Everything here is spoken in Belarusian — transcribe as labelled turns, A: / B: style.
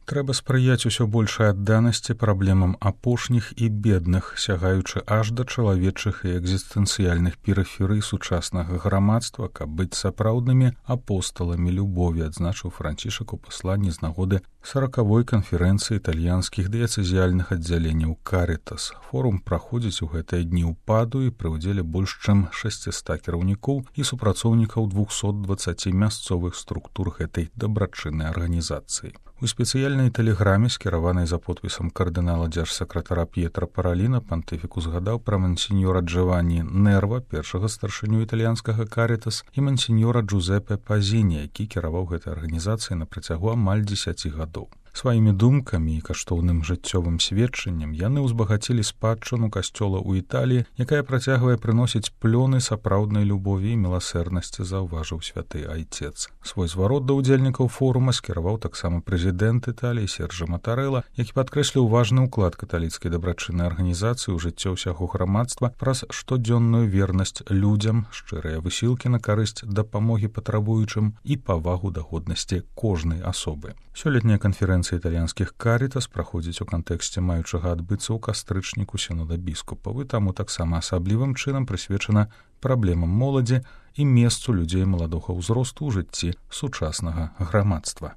A: Трэба спрыяць усё большай адданасці праблемам апошніх і бедных, сягаючы аж да чалавечых і экзістэнцыяльных перыферый сучаснага грамадства, каб быць сапраўднымі апосталамі любові, адзначыў Францішак у пасланні з нагоды 40-й канферэнцыі італьянскіх дыяцэзіяльных аддзяленняў Карытас. Форум праходзіць у гэтыя дні ў Паду і пры ўдзеле больш чым 600 кіраўнікоў і супрацоўнікаў 220 мясцовых структур гэтай дабрачыннай арганізацыі. У спецыяльнай тэлеграме, скіраванай за подпісам кардынала дзяржсакратара П'етра Параліна, пантыфіку згадаў пра мансіньора Джованні Нерва, першага старшыню італьянскага Карытас, і мансіньора Джузепе Пазіні, які кіраваў гэтай арганізацыяй на працягу амаль 10 гадоў. Сваімі думкамі і каштоўным жыццёвым сведчаннем яны ўзбагацілі спадчыну касцёла ў Італіі, якая працягвае прыносіць плёны сапраўднай любові і міласэрнасці, заўважыў святы айцец. Свой зварот да ўдзельнікаў форума скіраваў таксама прэзідэнт Італіі Серджа Матарэла, які падкрэсліў важны ўклад каталіцкай дабрачыннай арганізацыі ў жыццё ўсяго грамадства праз штодзённую вернасць людзям, шчырыя высілкі на карысць дапамогі патрабуючым і павагу да годнасці кожнай асобы. Сёлетняя канферэнцыя італьянскіх Карытас праходзіць у кантэксце маючага адбыцца ў кастрычніку сінода біскупаў, і таму таксама асаблівым чынам прысвечана праблемам моладзі і месцу людзей маладога ўзросту ў жыцці сучаснага грамадства.